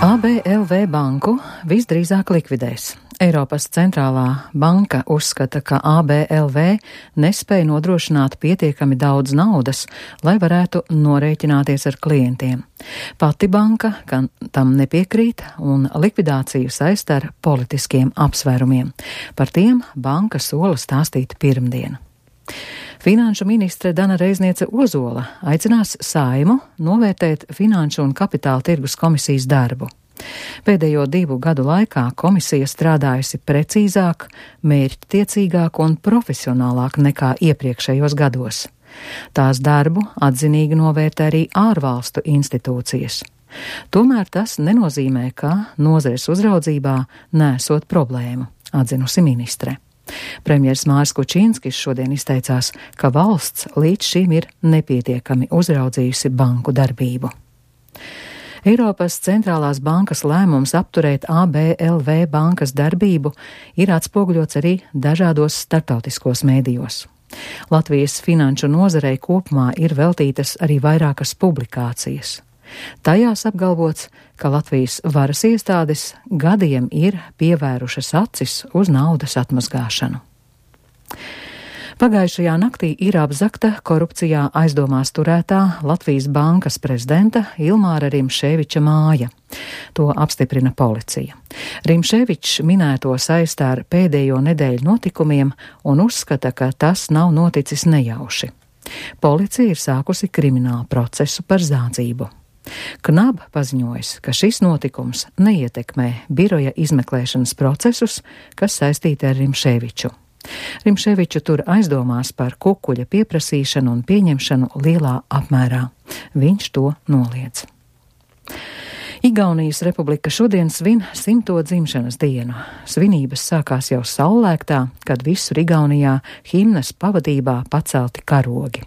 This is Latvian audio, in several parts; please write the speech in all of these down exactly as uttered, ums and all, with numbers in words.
A B L V banku visdrīzāk likvidēs. Eiropas centrālā banka uzskata, ka A B L V nespēja nodrošināt pietiekami daudz naudas, lai varētu norēķināties ar klientiem. Pati banka tam nepiekrīt un likvidāciju saist ar politiskiem apsvērumiem. Par tiem banka sola stāstīt pirmdien. Finanšu ministre Dana Reizniece Ozola aicinās Saeimu novērtēt Finanšu un kapitāla tirgus komisijas darbu. Pēdējo divu gadu laikā komisija strādājusi precīzāk, mērķtiecīgāk un profesionālāk nekā iepriekšējos gados. Tās darbu atzinīgi novērtē arī ārvalstu institūcijas. Tomēr tas nenozīmē, ka nozares uzraudzībā nesot problēmu, atzinusi ministre. Premjers Māris Kučinskis šodien izteicās, ka valsts līdz šim ir nepietiekami uzraudzījusi banku darbību. Eiropas centrālās bankas lēmums apturēt A B L V bankas darbību ir atspoguļots arī dažādos starptautiskos mēdījos. Latvijas finanšu nozarei kopumā ir veltītas arī vairākas publikācijas. Tajās apgalvots, ka Latvijas varas iestādes gadiem ir pievērušas acis uz naudas atmazgāšanu. Pagājušajā naktī ir apzagta korupcijā aizdomās turētā Latvijas bankas prezidenta Ilmāra Rimšēviča māja. To apstiprina policija. Rimšēvičs minēto saist ar pēdējo nedēļu notikumiem un uzskata, ka tas nav noticis nejauši. Policija ir sākusi kriminālu procesu par zādzību. Knab paziņojis, ka šis notikums neietekmē biroja izmeklēšanas procesus, kas saistīti ar Rimšēviču. Rimšēviču tur aizdomās par kukuļa pieprasīšanu un pieņemšanu lielā apmērā. Viņš to noliedz. Igaunijas republika šodien svin simto dzimšanas dienu. Svinības sākās jau saulēktā, kad visur Igaunijā himnas pavadībā pacelti karogi.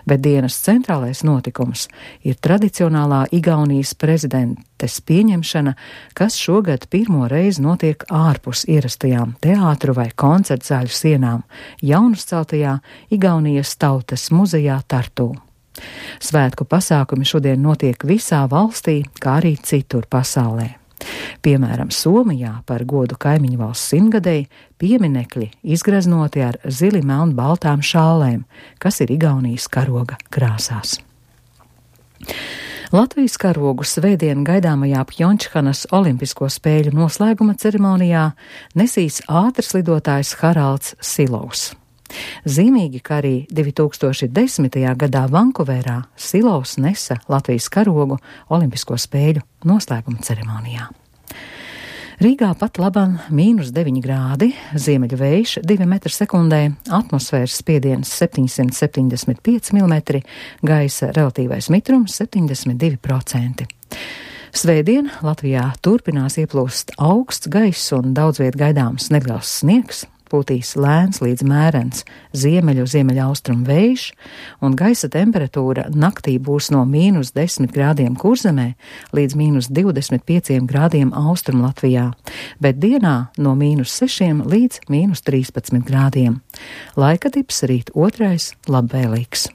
Bet dienas centrālais notikums ir tradicionālā Igaunijas prezidentes pieņemšana, kas šogad pirmo reizi notiek ārpus ierastajām teātru vai koncertu zāļu sienām jaunuzceltajā Igaunijas tautas muzejā Tartū. Svētku pasākumi šodien notiek visā valstī, kā arī citur pasaulē. Piemēram, Somijā par godu kaimiņu valsts simtgadēji pieminekļi izgraznoti ar zili melnu baltām šālēm, kas ir Igaunijas karoga krāsās. Latvijas karogu svētdien gaidāmajā Pjončhanas olimpisko spēļu noslēguma ceremonijā nesīs ātrslidotājs Haralds Silovs. Zīmīgi, ka arī divi tūkstoši desmitajā gadā Vankūverā Silovs nesa Latvijas karogu olimpisko spēļu noslēguma ceremonijā. Rīgā pat labam mīnus deviņi grādi, ziemeļu vējš divi metri sekundē, atmosfēras spiediens septiņsimt septiņdesmit pieci milimetri, gaisa relatīvais mitrums septiņdesmit divi procenti. Svētdien Latvijā turpinās ieplūst augsts gaiss un daudz viet gaidāms neliels sniegs. Pūtīs lēns līdz mērens ziemeļu ziemeļaustrumu vējš, un gaisa temperatūra naktī būs no mīnus desmit grādiem Kurzemē līdz mīnus divdesmit pieciem grādiem Austrumu Latvijā, bet dienā no mīnus sešiem līdz mīnus trīspadsmit grādiem. Laika tips rīt otrais labvēlīgs.